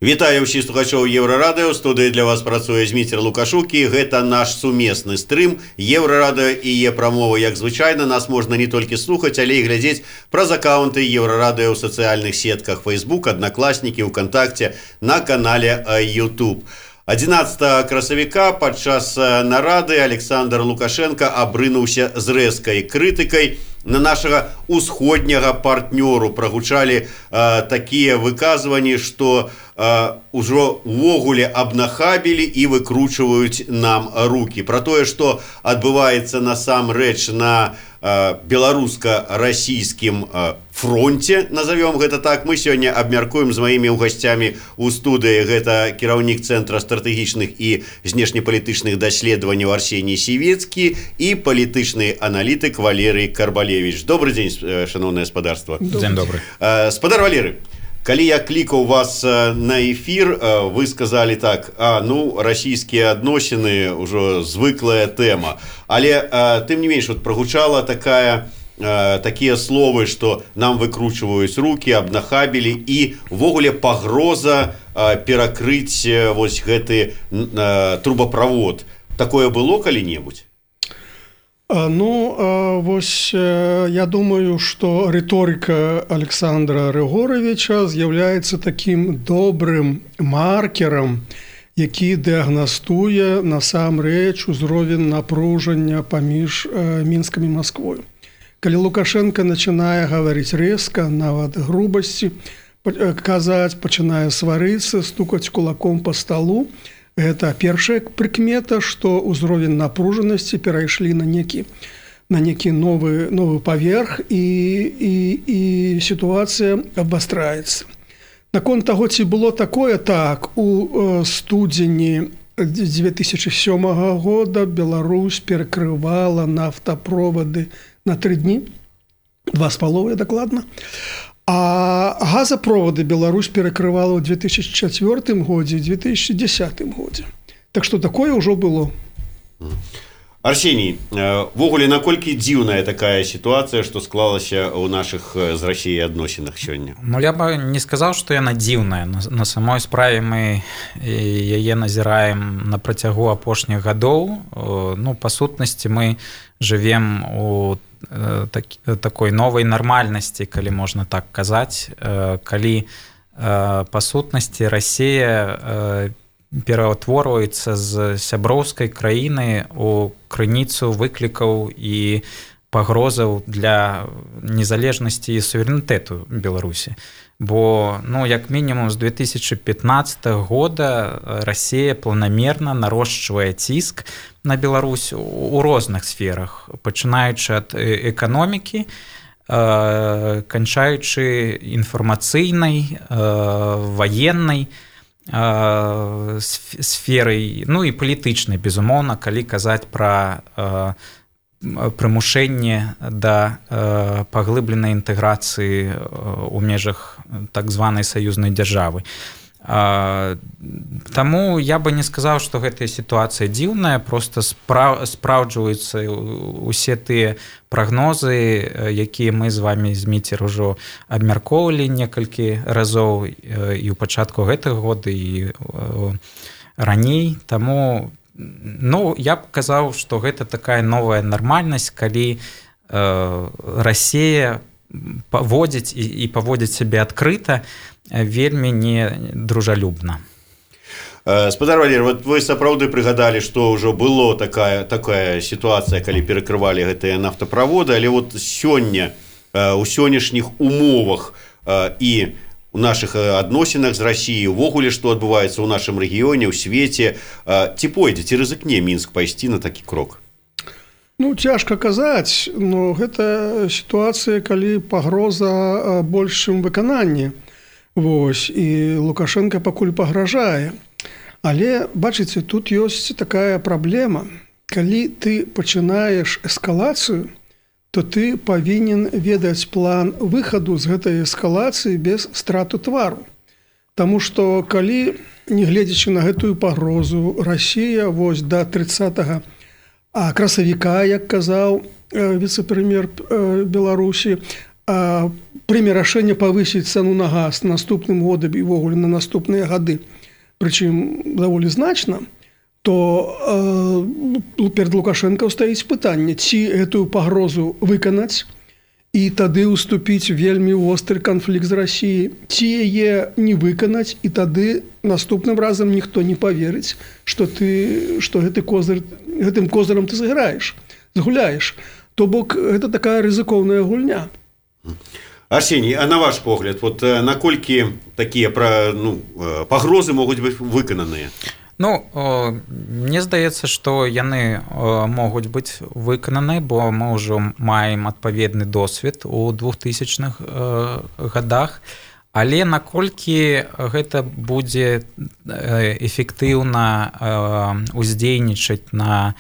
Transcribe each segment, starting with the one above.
Вітаю ўсіх слухачоў Еўрарадыё. Студыі для вас працуе Зміцер Лукашук, і гэта наш сумесны стрым Еўрарадыё і Е-прамова. Як звычайна, нас можна не толькі слухаць, але і глядзець праз акаунты Еўрарадыё ў сацыяльных сетках Facebook, Аднакласнікі, ВКонтакце, на канале YouTube. 11 красавіка падчас нарады Александр Лукашенко абрынуўся з рэзкай крытыкай на нашага усходняга партнёру. Прагучалі такія выказванні, што ўжо ўвогуле абнахабілі і выкручваюць нам рукі. Пра тое, што адбываецца насамрэч на беларуска-расійскім фронте, назовем гэта так, мы сёння абмяркуем з маімі гасцямі ў студыі. Гэта кіраўнік Цэнтра стратэгічных і знешнепалітычных даследаванняў Арсеній Сівецкі і палітычны аналітык Валерый Карбалевич. Добрый дзень, шановнае спадарства. Дзень добры. Спадар Валерый, калі я клікаў вас на эфир, вы сказали так: расійскія адносіны ўжо звыклая тэма. Але тым не менш, прагучала такія словы, што нам выкручваюць рукі, абнахабілі і ўвогуле пагроза перакрыць вось гэты трубаправод. Такое было калі-небудзь? Я думаю, что риторика Александра Григоровича з'являецца таким добрым маркером, які дыагнастуе насамрэч узровень напружання паміж Мінскам і Масквою. Калі Лукашенко начинае гаварыць рэзка, нават грубасці казаць, пачынае сварыцца, стукаць кулаком по столу, гэта першая прыкмета, што ўзровень напружанасці перайшлі на некі новы паверх і сітуацыя абвастраецца. Наконт таго, ці было такое, так, у студзені 2007 года Беларусь перакрывала нафтаправоды на 3 дні, 2,5 дакладна. А газопроводы Беларусь перакрывала ў 2004 годзе і 2010 годзе. Так што такое ўжо было. Арсеній, ввогуле, наколькі дзіўная такая сітуацыя, што склалася ў нашых з Расіяй адносінах сёння? Я бы не сказаў, што яна дзіўная. На самой справе мы яе назіраем на працягу апошніх гадоў. Па сутнасці мы жывем у такой новай нармальнасці, калі можна так казаць, калі па сутнасці Расія пераўтворваецца з сяброўскай краіны у крыніцу выклікаў і пагрозаў для незалежнасці і суверэнітэту Беларусі. Бо, як мінімум з 2015 года Расія планамерна нарошчвае ціск на Беларусь у розных сферах, пачынаючы ад эканомікі, канчаючы інфармацыйнай, ваеннай сферай, і палітычнай, безумоўна, калі казаць пра прымушэнне да паглыбленай інтэграцыі ў межах так званай саюзнай дзяржавы. Таму я бы не сказаў, што гэтая сітуацыя дзіўная, проста спраўджваюцца усе тыя прагнозы, якія мы з вамі, Зміцер, ужо абмяркоўвалі некалькі разоў і ў пачатку гэтага года, і раней. Таму я б казаў, што гэта такая новая нармальнасць, калі Расія паводзіць і паводзіць сябе адкрыта, вельмі недружалюбна. Спадар Валерый, вы сапраўды прыгадалі, што ўжо было такая сітуацыя, калі перакрывалі гэтыя нафтаправоды, але сёння, у сённяшніх умовах і у нашых адносінах з Расіяй, увогуле, што адбываецца ў нашым рэгіёне, ў свеце, ці пойдзе, ці рызыкне Мінск пайсці на такі крок? Цяжка казаць, гэта сітуацыя, калі пагроза большым выкананні. І Лукашенко пакуль пагражае. Але, бачыце, тут ёсць такая праблема. Калі ты пачынаеш эскалацыю, то ты павінен ведаць план выхаду з гэтай эскалацыі без страту твару. Таму што калі, не гледзячы на гэтую пагрозу, Расія да 30 красавіка, як казаў віцэ-прэм'ер Беларусі, прыме рашэнне павысіць цану на газ наступным годам і ўвогуле на наступныя гады, прычым даволі значна, то перад Лукашенко стаіць пытанне, ці гэтую пагрозу выканаць і тады ўступіць вельмі востры канфлікт з Расіяй, ці яе не выканаць, і тады наступным разам ніхто не паверыць, што гэтым козырам ты згуляеш. То бок гэта такая рызыкоўная гульня. Арсений, а на ваш погляд, вот наколькі такія пагрозы могуць быць выкананыя? Мне здаецца, што яны могуць быць выкананы, бо мы ўжо маем адпаведны досвед у 2000-х годах, але наколькі гэта будзе эфектыўна уздзейнічаць на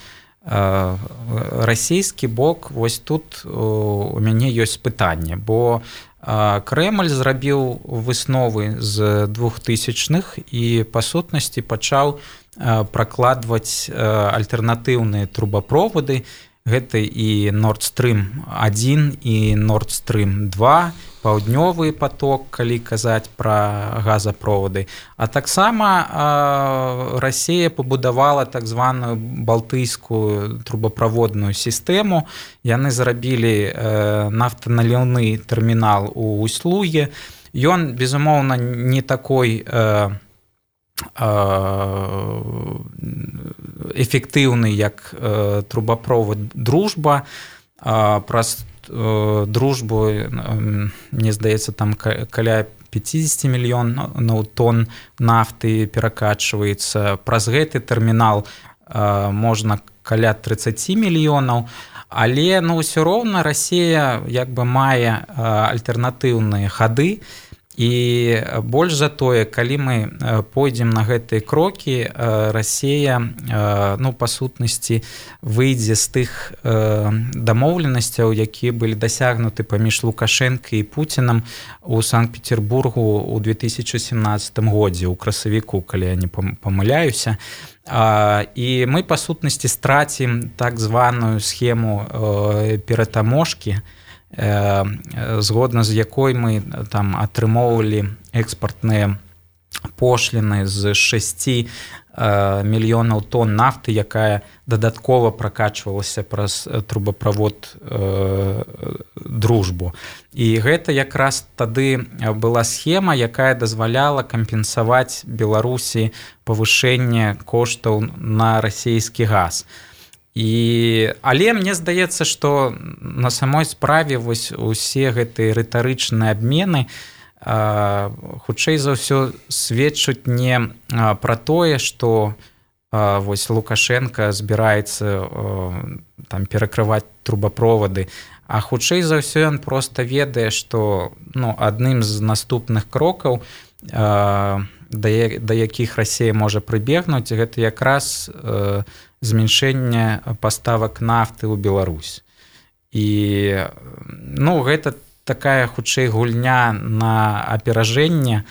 расійскі бок, вось тут у мяне ёсць пытанне, бо Крэмль зрабіў высновы з 2000-х і па сутнасці пачаў пракладваць альтэрнатыўныя трубаправоды. Гэта і Nord Stream 1 і Nord Stream 2, паўднёвы поток, калі казаць пра газаправоды. А таксама Расія пабудавала так званую балтыйскую трубаправодную сістэму. Яны зрабілі нафтаналіўны тэрмінал у Усть-Луге. Ён, безумоўна, не такой эфектыўны, як трубаправод «Дружба». Праз «Дружбу», мне здаецца, там каля 50 мільёнаў тонн нафты перакачваецца. Праз гэты тэрмінал можна каля 30 мільёнаў. Але ўсё роўна Расія мае альтэрнатыўныя хады. І больш за тое, калі мы пойдзем на гэтыя крокі, Расія, па сутнасці, выйдзе з тых дамоўленасцяў, якія былі дасягнуты паміж Лукашенко і Пуцінам у Санкт-Петербургу ў 2017 годзе, у красавіку, калі я не памыляюся. І мы, па сутнасці, страцім так званую схему ператаможкі, згодна з якой мы там атрымоўвалі экспартныя пошліны з 6 мільёнаў тонн нафты, якая дадаткова пракачвалася праз трубаправод «Дружбу». І гэта якраз тады была схема, якая дазваляла кампенсаваць Беларусі павышэнне коштаў на расійскі газ. Але мне здаецца, што на самой справе вось усе гэтыя рытарычныя абмены хутчэй за ўсё сведчаць не пра тое, што вось Лукашенко збіраецца там перакрываць трубаправоды, а хутчэй за ўсё ён проста ведае, што адным з наступных крокаў, да якіх Расія можа прыбегнуць, гэта якраз зменшэнне паставак нафты ў Беларусь. І гэта такая хутчэй гульня на аперажэнне,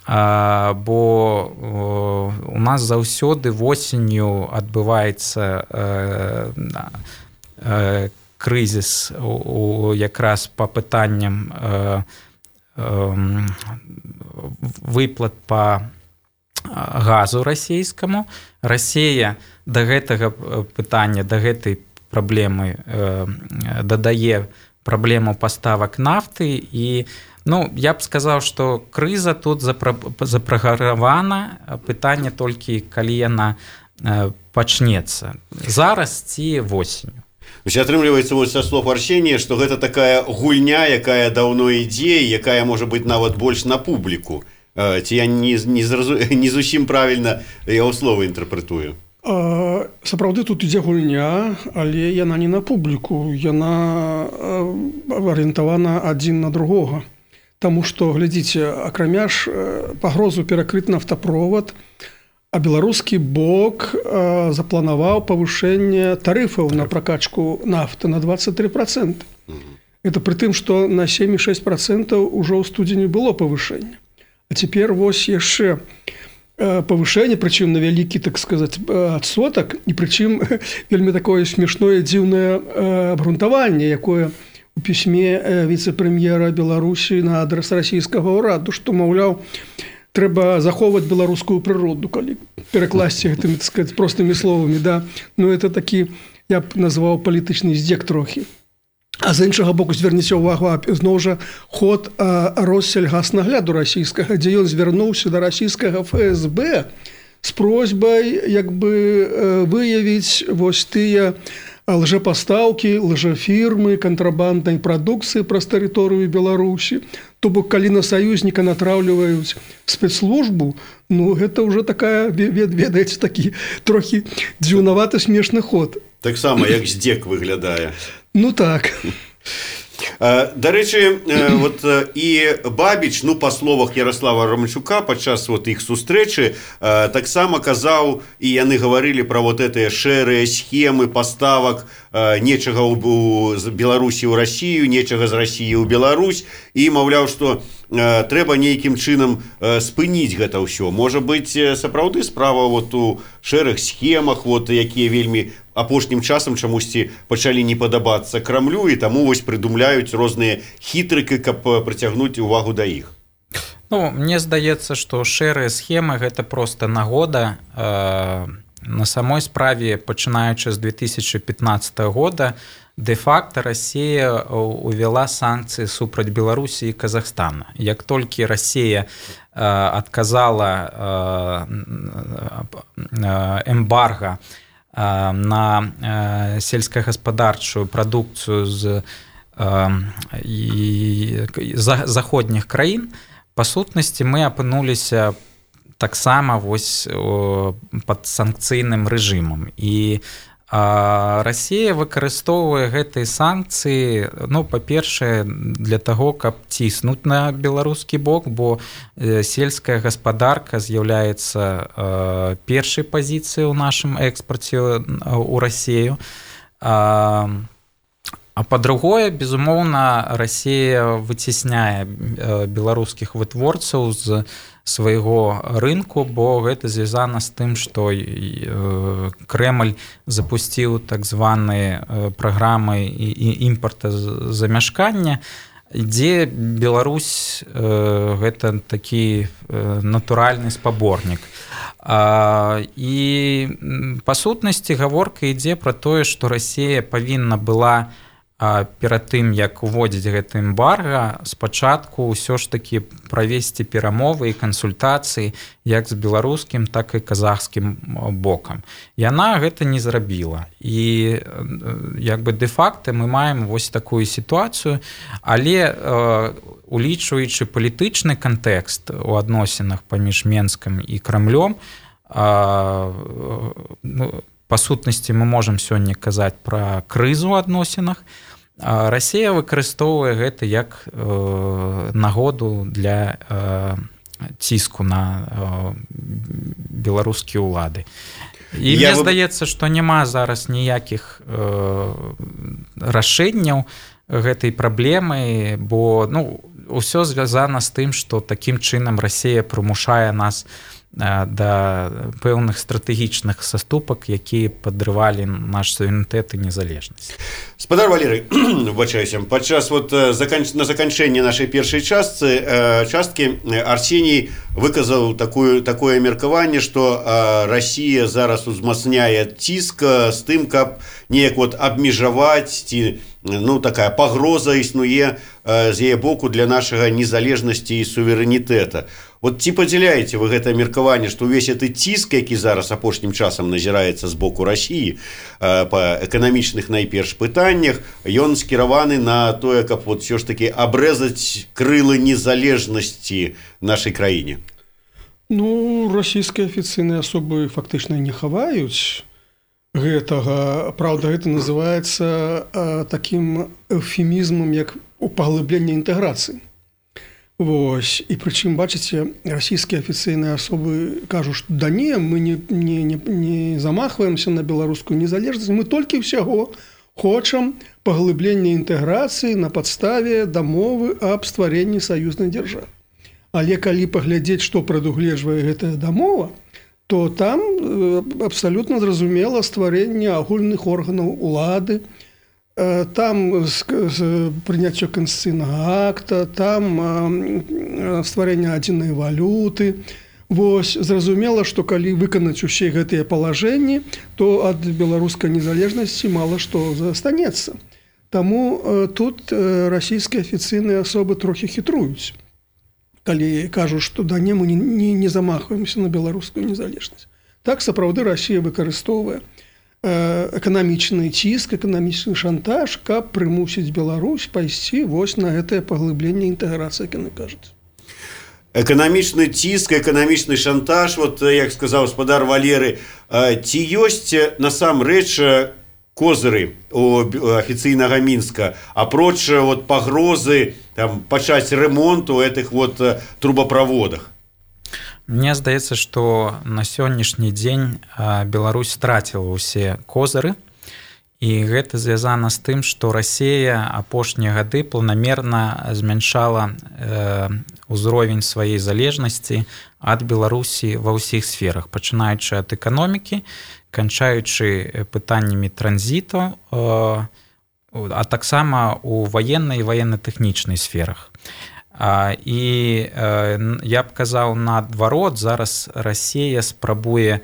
бо у нас заўсёды восенню адбываецца крызіс якраз па пытанням выплат па газу расійскаму. Расія да гэтага пытання, да гэтай праблемы дадае праблему паставак нафты. І я б сказаў, што крыза тут запраграмавана, пытанне толькі калі яна пачнецца. Зараз ці восенню. Атрымліваецца са слов Арсенія, што гэта такая гульня, якая даўно ідзе, якая можа быць нават больш на публіку. Ці я не зусім правільна яго словы інтэрпрэтую? Сапраўды тут ідзе гульня, але яна не на публіку, яна арыентавана адзін на другога. Таму што, глядзіце, акрамя ж пагрозу перакрыць нафтаправод, а беларускі бок запланаваў павышэнне тарыфаў на пракачку нафты на 23%. Это пры тым, што на 7,6% ўжо ў студзені было павышэнне. А цяпер вось яшчэ павышэнне, прычым на вялікі, так сказаць, адсотак, і прычым вельмі такое смешное, дзіўнае абгрунтаванне, якое у пісьме віцэ-прэм'ера Беларусі на адрас расійскага ўраду, што, маўляў, трэба захоўваць беларускую прыроду, калі перакласці гэтымі, так сказаць, простымі словамі, да. Ну, это такі, я б назваў палітычны здзек трохі. А з іншага боку, зверніце ўвагу, зноў жа ход Россельгаснагляду расійскага, дзе ён звярнуўся да расійскага ФСБ з просьбай як бы выявіць вось тыя лжэпастаўкі, лжэфірмы, кантрабанднай прадукцыі праз тэрыторыю Беларусі. То бок, калі на саюзніка натраўліваюць спецслужбу, ну, гэта ўжо такая, ведаеце, такі трохі дзіўнаваты смешны ход. Таксама, як здзек выглядае. Ну, так. Дарэчы, вот і Бабіч, ну, па словах Ярослава Романчука падчас вот іх сустрэчы таксама казаў, і яны гаварылі пра вот гэтыя шэрыя схемы паставак нечага з Беларусі ў Расію, нечага з Расіі ў Беларусь, і маўляў, што трэба нейкім чынам спыніць гэта ўсё. Можа быць, сапраўды справа вот у шэрых схемах, вот, якія вельмі апошнім часам чамусьці пачалі не падабацца Крамлю, і таму вось прыдумляюць розныя хітрыкі, каб прыцягнуць увагу да іх. Ну, мне здаецца, што шэрыя схемы гэта проста нагода. На самой справе, пачынаючы з 2015 года, де-факта Расія увяла санкцыі супраць Беларусі і Казахстана. Як толькі Расія адказала эмбарга на сельскагаспадарчую прадукцыю з заходніх краін, па сутнасці мы апынуліся таксама вось пад санкцыйным рэжымам. І Расія выкарыстоўвае гэтыя санкцыі, ну, па-першае, для таго, каб ціснуць на беларускі бок, бо сельская гаспадарка з'яўляецца першай пазіцыяй у нашым экспарце ў Расію. А па-другое, безумоўна, Расія выцісняе беларускіх вытворцаў з свайго рынку, бо гэта звязана з тым, што Крэмль запусціў так званыя праграмы імпартазамяшкання, дзе Беларусь гэта такі натуральны спаборнік. І па сутнасці гаворка ідзе пра тое, што Расія павінна была перад тым, як уводзіць гэта эмбарга, спачатку ўсё ж такі правесці перамовы і кансультацыі як з беларускім, так і казахскім бокам. Яна гэта не зрабіла. І як бы де-факта мы маем вось такую сітуацыю, але улічваючы палітычны кантэкст у адносінах паміж Менскам і Крамлём, па сутнасці мы можам сёння казаць пра крызу ў адносінах. Расія выкарыстоўвае гэта як нагоду для ціску на беларускія ўлады. І мне здаецца, што няма зараз ніякіх рашэнняў гэтай праблемы, бо ўсё звязана з тым, што такім чынам Расія прымушае нас да пэўных стратэгічных саступак, якія падрывалі наш суверэнітэт і незалежнасць. Спадар Валерый, выбачаюся, падчас вот на заканчэнне нашай першай часткі Арсеній выказаў такое меркаванне, што Расія зараз узмацняе ціск з тым, каб неяк вот абмежаваць ці такая пагроза існуе з яе боку для нашага незалежнасці і суверэнітэта. Вот ці падзяляеце вы гэта меркаванне, што ўвесь гэты ціск, які зараз апошнім часам назіраецца з боку Расіі па эканамічных найперш пытаннях, ён скіраваны на тое, каб вот ўсё ж такі абрэзаць крылы незалежнасці нашай краіне? Расійскія афіцыйныя асобы фактычна не хаваюць гэтага. Праўда, гэта называецца такім эўфемізмам, як паглыбленне інтэграцыі. Вось. І прычым, бачыце, расійскія афіцыйныя асобы кажуць, што да не, мы не замахваемся на беларускую незалежнасць, мы толькі ўсяго хочам паглыблення інтэграцыі на падставе дамовы аб стварэнні саюзнай дзяржавы. Але калі паглядзець, што прадугледжвае гэтая дамова, то там абсалютна зразумела стварэнне агульных органаў улады, там прыняццё канстытуцыйнага акта, там стварэнне адзінай валюты. Вось, зразумела, што калі выканаць усе гэтыя палажэнні, то ад беларускай незалежнасці мала што застанецца. Таму тут расійскія афіцыйныя асобы трохі хітруюць, калі кажуць, што да мы не замахваемся на беларускую незалежнасць. Так, сапраўды, Расія выкарыстоўвае эканамічны ціск, эканамічны шантаж, каб прымусіць Беларусь пайсці вось на гэтае паглыбленне інтэграцыі, як яны кажуць. Эканамічны ціск, эканамічны шантаж, вот, як сказаў гаспадар Валеры, ці ёсць насамрэч козыры у афіцыйнага Мінска, апроч вот пагрозы там пачаць ремонт у гэтых вот трубаправодах? Мне здаецца, што на сённяшні дзень Беларусь страціла ўсе козыры, і гэта звязана з тым, што Расія апошнія гады планамерна змяншала ўзровень сваёй залежнасці ад Беларусі ва ўсіх сферах, пачынаючы ад эканомікі, канчаючы пытаннямі транзіту, а таксама у ваеннай і ваенна-тэхнічнай сферах. І я б казаў наадварот, зараз Расія спрабуе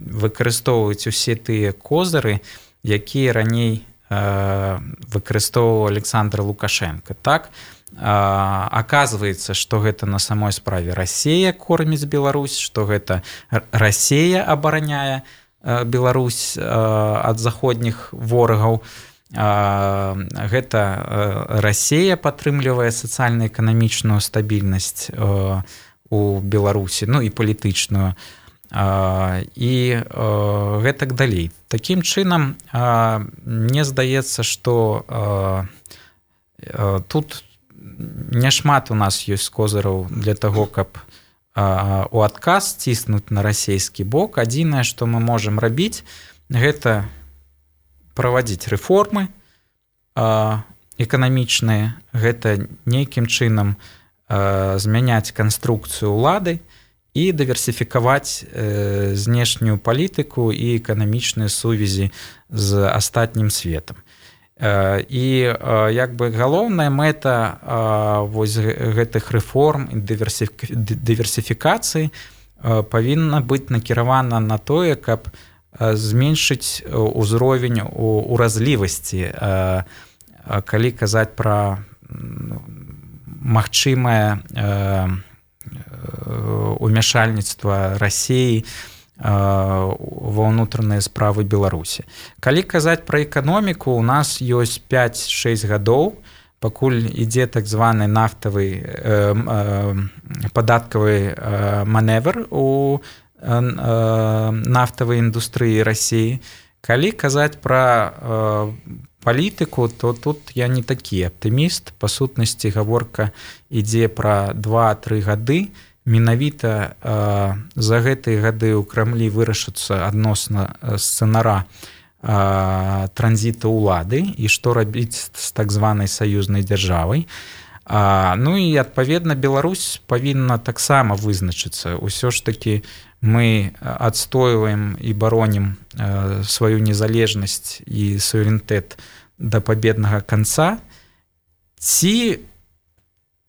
выкарыстоўваць усе тыя козыры, якія раней выкарыстоўваў Александр Лукашенко. Так, аказваецца, што гэта на самой справе Расія корміць Беларусь, што гэта Расія абараняе Беларусь ад заходніх ворагаў. Гэта Расія падтрымлівае сацыяльна-эканамічную стабільнасць у Беларусі, ну і палітычную, і гэтак далей. Такім чынам, мне здаецца, што тут няшмат у нас ёсць козыраў для таго, каб у адказ ціснуць на расійскі бок. Адзінае, што мы можам рабіць, гэта правадзіць рэформы эканамічныя, гэта нейкім чынам змяняць канструкцыю ўлады і дыверсіфікаваць знешнюю палітыку і эканамічныя сувязі з астатнім светам. І як бы галоўная мэта вось гэтых рэформ і дыверсіфікацыі павінна быць накіравана на тое, каб зменшыць узровень уразлівасці, калі казаць пра магчымае умяшальніцтва Расіі ва ўнутраныя справы Беларусі. Калі казаць пра эканоміку, у нас ёсць 5-6 гадоў, пакуль ідзе так званы нафтавы падаткавы маневр у нафтавай індустрыі Расіі. Калі казаць пра палітыку, то тут я не такі аптыміст. Па сутнасці гаворка ідзе пра 2-3 гады. Менавіта за гэтыя гады ў Крамлі вырашыцца адносна сцэнара транзіту ўлады і што рабіць з так званай саюзнай дзяржавай. Ну і адпаведна Беларусь павінна таксама вызначыцца. Усё ж такі мы адстойваем і баронім сваю незалежнасць і суверэнітэт да пабеднага канца, ці,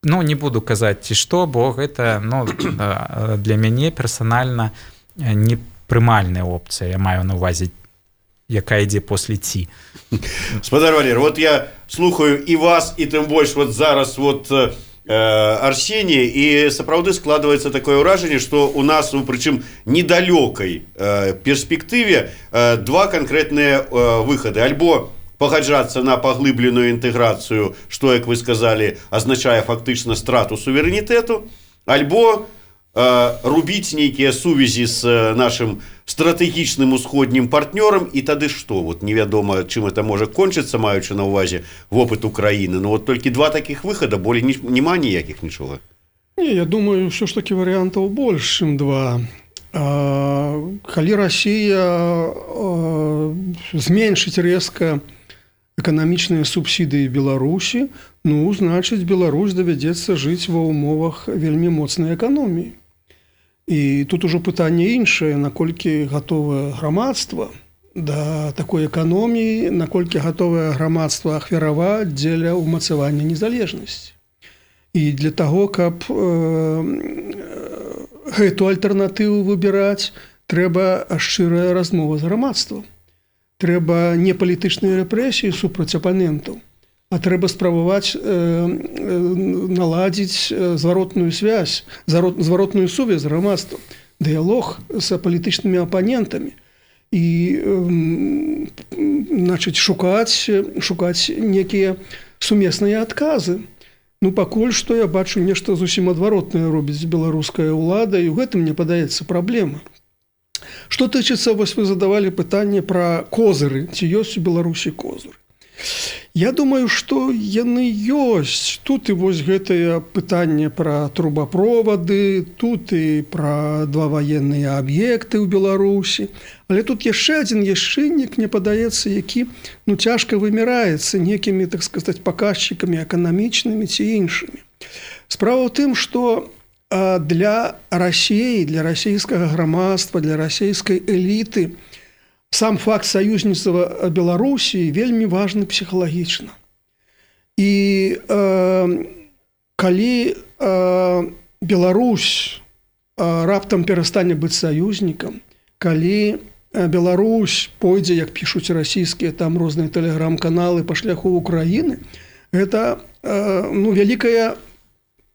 ну, не буду казаць ці што, бо гэта, ну, для мяне персанальна непрымальная опцыя, я маю на ўвазе, якая ідзе после ці. Гаспадар Валер, вот я слухаю і вас, і тым больш вот зараз вот Арсенія, і сапраўды складваецца такое ўражанне, што у нас, прычым недалёкай перспектыве, два канкрэтныя выхады. Альбо пагаджацца на паглыбленую інтэграцыю, што, як вы сказалі, азначае фактычна страту суверэнітэту, альбо рубіць нейкія сувязі з нашым стратэгічным усходнім партнёрам, і тады што? Вот невядома, чым это можа кончыцца, маючы на ўвазе вопыт Украіны. Ну вот толькі два такіх выхада, болей няма ніякіх нічога. Не, я думаю, ўсё ж такі варыянтаў больш, чым два. Калі Расія зменшыць рэзка эканамічныя субсідыі Беларусі, ну, значыць, Беларусь давядзецца жыць ва ўмовах вельмі моцнай эканоміі. І тут ужо пытанне іншае, наколькі гатовае грамадства да такой эканоміі, наколькі гатовае грамадства ахвяраваць дзеля ўмацавання незалежнасці. І для таго, каб гэту альтэрнатыву выбіраць, трэба шчырая размова з грамадствам. Трэба не палітычныя рэпрэсіі супраць апанентаў, а трэба спрабаваць наладзіць зваротную сувязь з грамадствам, дыялог з палітычнымі апанентамі і шукаць некія сумесныя адказы. Пакуль што я бачу нешта зусім адваротнае робіць беларуская ўлада, і ў гэтым, мне падаецца, праблема. Што тычыцца, вось вы задавалі пытанне пра козыры, ці ёсць у Беларусі козыры. Я думаю, што яны ёсць. Тут і вось гэтае пытанне пра трубапровады, тут і пра два ваенныя аб'екты ў Беларусі. Але тут яшчэ адзін чыннік, мне падаецца, які цяжка вымяраецца некімі, так сказаць, паказчыкамі эканамічнымі ці іншымі. Справа ў тым, што для Расіі, для расійскага грамадства, для расійскай эліты сам факт саюзніцтва Беларусі вельмі важны псіхалагічна. І калі Беларусь раптам перастане быць саюзнікам, калі Беларусь пойдзе, як пішуць расійскія там розныя тэлеграм-каналы, па шляху Украіны, гэта вялікая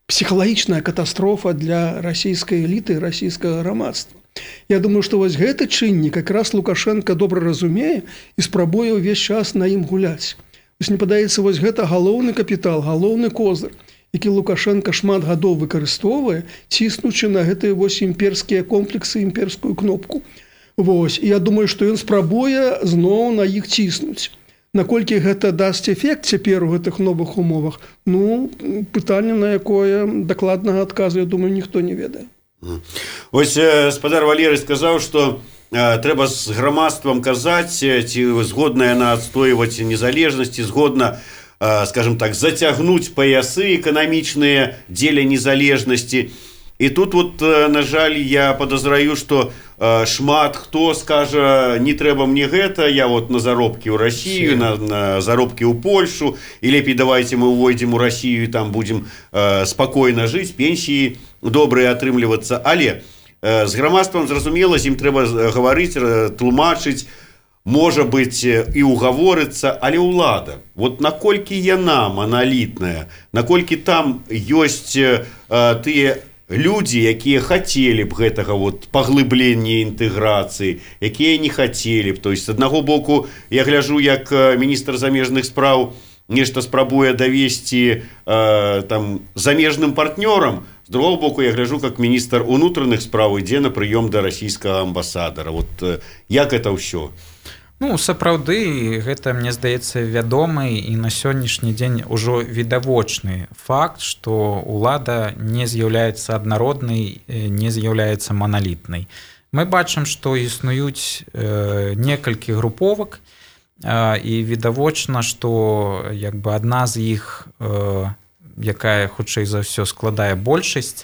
псіхалагічная катастрофа для расійскай эліты і расійскага грамадства. Я думаю, што вось гэты чыннік якраз Лукашенко добра разумее і спрабуе ўвесь час на ім гуляць. Вось мне падаецца, вось гэта галоўны капітал, галоўны козыр, які Лукашенко шмат гадоў выкарыстоўвае, ціснучы на гэтыя вось імперскія комплексы, імперскую кнопку. Вось, і я думаю, што ён спрабуе зноў на іх ціснуць. Наколькі гэта дасць эфект цяпер у гэтых новых умовах, пытанне, на якое дакладнага адказу, я думаю, ніхто не ведае. Ось спадар Валерый сказаў, што трэба з грамадствам казаць, ці згодна яна адстойваць незалежнасці, згодна, скажем так, зацягнуць паясы эканамічныя дзеля незалежнасці. І тут вот, на жаль, я подозраю, што шмат хто скажа, не трэба мне гэта, я вот на заробкі ў Расію, на заробкі ў Польшу, і лепей давайте мы увойдзем у Расію і там будзем спакойна жыць, пенсіі добрыя атрымлівацца. Але з грамадствам, зразумела, з ім трэба гаварыць, тлумачыць, можа быць і угаворыцца, але ўлада, вот наколькі яна маналітная, наколькі там ёсць тыя людзі, якія хацелі б гэтага вот паглыблення інтэграцыі, якія не хацелі б. То есть, з аднаго боку, я гляжу, як міністр замежных спраў нешта спрабуе давесці там замежным партнёрам, з другого боку, я гляжу, как міністр унутраных спраў ідзе на прыём да расійскага амбасадара. Вот як это ўсё? Сапраўды, гэта, мне здаецца, вядомы і на сённяшні дзень ужо відавочны факт, што ўлада не з'яўляецца аднароднай, не з'яўляецца маналітнай. Мы бачым, што існуюць некалькі груповак, і відавочна, што адна з іх, якая, хутчэй за ўсё, складае большасць,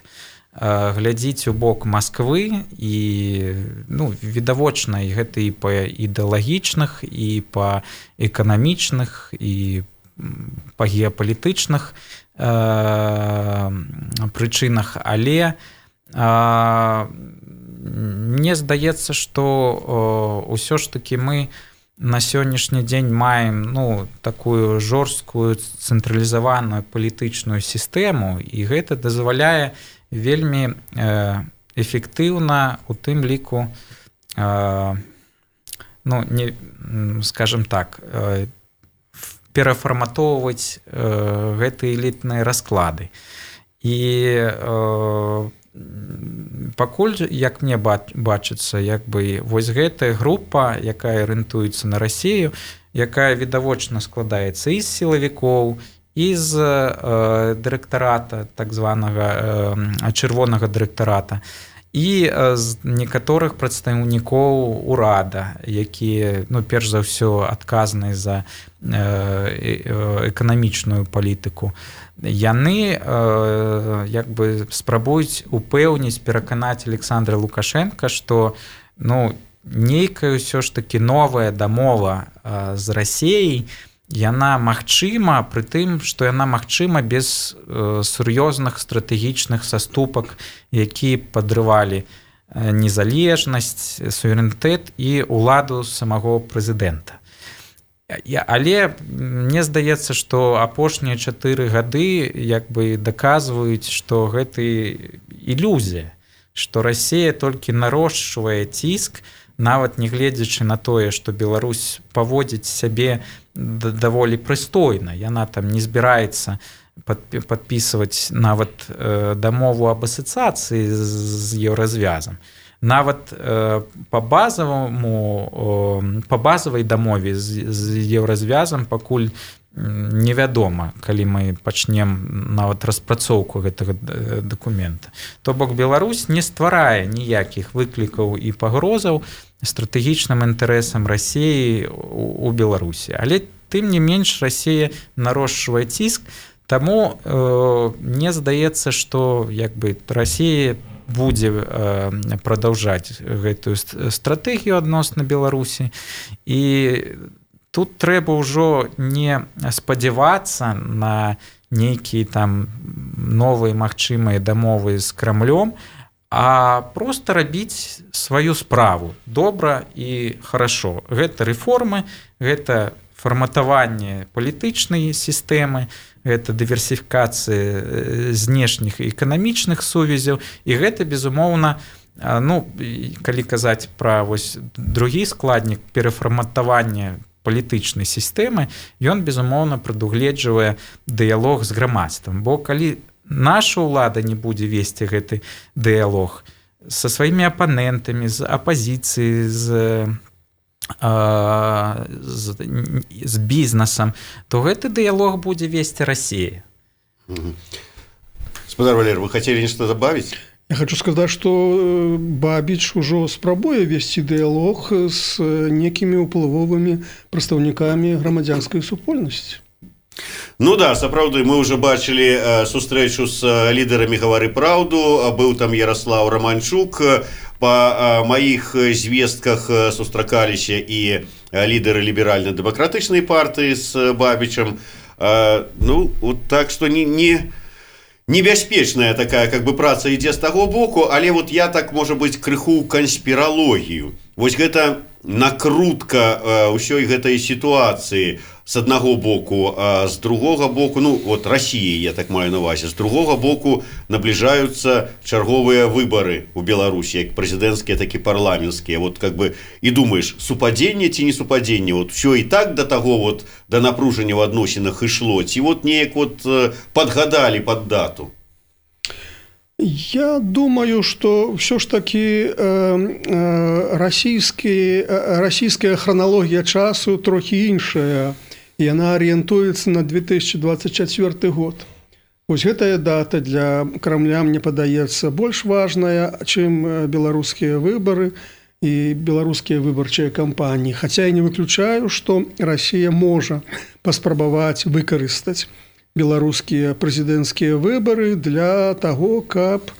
глядзіць у бок Масквы, і відавочна, і гэта і па ідэалагічных, і па эканамічных, і па геапалітычных прычынах. Але мне здаецца, што ўсё ж такі мы на сённяшні дзень маем такую жорсткую цэнтралізаваную палітычную сістэму, і гэта дазваляе вельмі эфектыўна, у тым ліку, скажем так, перафарматоўваць гэтыя элітныя расклады. І пакуль, як мне бачыцца, вось гэтая група, якая арыентуецца на Расію, якая відавочна складаецца і з сілавікоў, і з дырэктарата, так званага чырвонага дырэктарата, і з некаторых прадстаўнікоў урада, якія, перш за ўсё, адказныя за эканамічную палітыку. Яны спрабуюць упэўніць, пераканаць Александра Лукашенка, што нейкая ўсё ж такі новая дамова з Расіяй, яна магчыма, пры тым, што яна магчыма без сур'ёзных стратэгічных саступак, якія падрывалі незалежнасць, суверэнітэт і ўладу самого прэзідэнта. Але мне здаецца, што апошнія 4 гады як бы даказваюць, што гэта ілюзія, што Расія толькі нарошчвае ціск, нават не гледзячы на тое, што Беларусь паводзіць сябе даволі прыстойна. Яна там не збіраецца падпісваць нават дамову аб асацыяцыі з еўразвязам. Нават па базавай дамове з еўразвязам пакуль невядома, калі мы пачнем нават распрацоўку гэтага дакумента. То бок Беларусь не стварае ніякіх выклікаў і пагрозаў стратэгічным інтарэсам Расіі у Беларусі. Але тым не менш Расія нарошчвае ціск, таму мне здаецца, што як бы Расія будзе прадаўжаць гэтую стратэгію адносна Беларусі. І тут трэба ўжо не спадзявацца на нейкія там новыя магчымыя дамовы з Крамлём, а проста рабіць сваю справу добра і хорошо. Гэта рэформы, гэта фарматаванне палітычнай сістэмы, гэта дыверсіфікацыя знешніх і эканамічных сувязяў, і гэта, безумоўна, калі казаць пра другі складнік перафарматавання палітычнай сістэмы, ён, безумоўна, прадугледжвае дыялог з грамадствам. Бо калі наша ўлада не будзе весці гэты дыялог са сваімі апанентамі, з апазіцыяй, з бізнесам, то гэты дыялог будзе весці Расія. Спадар Валер, вы хотели нешта добавить? Я хочу сказать, что Бабіч ужо спрабуе весці дыялог з некімі ўплывовымі прадстаўнікамі грамадзянскай супольнасці. Ну да, сапраўды, мы уже бачылі сустрэчу з лідарамі «Гавары праўду», быў там Ярослав Романчук, па маіх звестках сустракаліся і лідары ліберальна-дэмакратычнай партыі з Бабічам. Так што небяспечная такая как бы праца ідзе з таго боку, але вот я так, можа быць, крыху канспіралогію. Вось гэта накрутка ўсёй гэтай сітуацыі з аднаго боку, а з другога боку, Расіі, я так маю на ўвазе, з другога боку набліжаюцца чарговыя выбары ў Беларусі, як прэзідэнцкія, так і парламенцкія. Вот как бы і думаеш, супадзенне ці не супадзенне, вот все і так да таго вот да напружання ў адносінах ішло, ці вот неяк вот падгадалі пад дату. Я думаю, что все ж таки расійская хронологія часу трохі іншая, і яна арыентуецца на 2024 год. Вось гэтая дата для Крамля, мне падаецца, больш важная, чым беларускія выбары і беларускія выбарчыя кампаніі. Хаця я не выключаю, што Расія можа паспрабаваць выкарыстаць беларускія прэзідэнцкія выбары для таго, каб,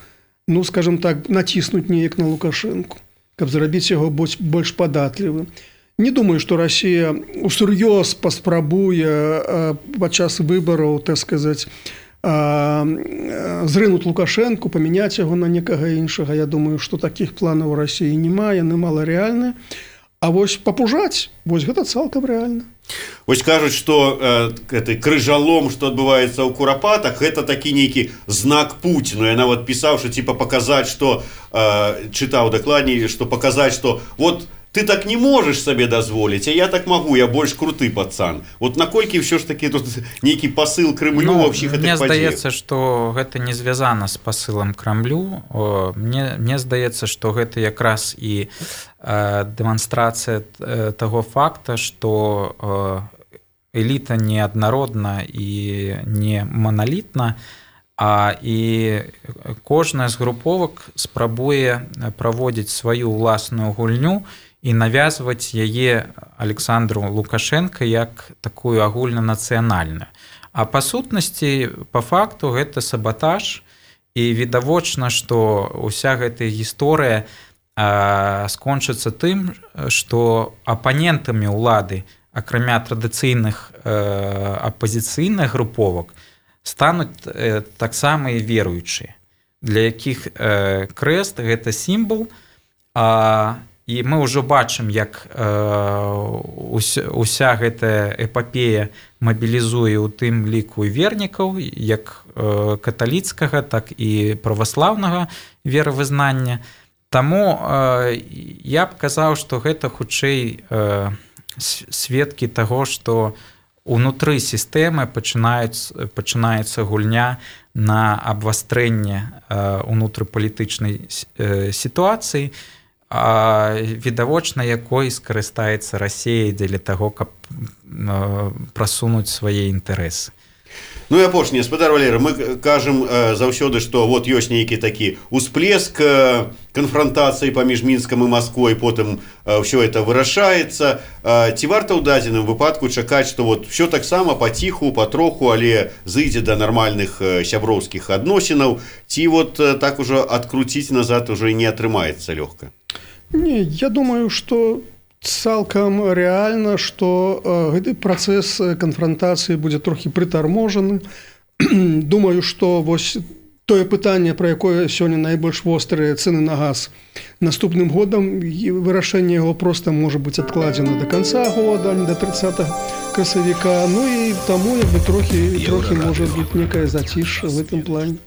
скажем так, націснуць неяк на Лукашэнку, каб зрабіць яго больш падатлівым. Не думаю, што Расія усур'ёз паспрабуе падчас выбараў, так сказаць, зрынуць Лукашэнку, памяняць яго на некага іншага. Я думаю, што такіх планаў у Расіі няма, яны маларэальныя. А вось папужаць, вось гэта цалкам рэальна. Вось кажуць, што крыжалом, што адбываецца ў Курапатах, гэта такі нейкі знак Пуціну. Я нават пісаў, што паказаць, што чытаў дакладней, што паказаць, што вот ты так не можаш сабе дазволіць, а я так магу, я больш круты пацан. Вот наколькі ўсё ж такі тут нейкі пасыл Крымлю ва ўсіх гэтых падзеях? Мне здаецца, што гэта не звязана з пасылам Крамлю. Мне здаецца, што гэта якраз і дэманстрацыя таго факта, што эліта не аднародна і не маналітна, і кожная з груповак спрабуе праводзіць сваю ўласную гульню і навязваць яе Александру Лукашенко як такую агульнанацыянальную. А па сутнасці, па факту, гэта сабатаж, і відавочна, што ўся гэтая гісторыя скончыцца тым, што апанентамі ўлады, акрамя традыцыйных апазіцыйных груповак, стануць таксама і веруючыя, для якіх крэст – гэта сімвал, і мы ўжо бачым, як уся гэтая эпапея мабілізуе ў тым ліку вернікаў, як каталіцкага, так і праваслаўнага веравызнання. Таму я б казаў, што гэта хутчэй сведкі таго, што унутры сістэмы пачынаецца гульня на абвастрэнне унутрыпалітычнай сітуацыі, відавочна якой скарыстаецца Расія дзеля таго, каб прасунуць свае інтарэсы. Ну і апошняе, спадар Валерый, мы кажам заўсёды, што вот ёсць нейкі такі усплеск канфрантацыі паміж Мінскам і Масквой, потым ўсё это вырашаецца. Ці варта ў дадзеным выпадку чакаць, што вот ўсё таксама паціху, патроху, але зыдзе да нармальных сяброўскіх адносінаў, ці вот так ужо адкруціць назад уже не атрымаецца лёгка? Не, я думаю, што цалкам рэальна, што гэты працэс канфрантацыі будзе трохі прытарможаны. Думаю, што вось тое пытанне, пра якое сёння найбольш вострыя цэны на газ, наступным годам вырашэнне яго проста можа быць адкладзена да канца года, не да 30 красавіка. Ну і таму трохі можа быць некае зацішша в гэтым плане.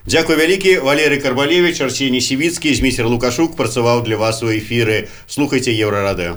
Дзякуй вялікі. Валерый Карбалевіч, Арсеній Сівіцкі, Зміцер Лукашук працаваў для вас у эфіры. Слухайце Еўрарадыё.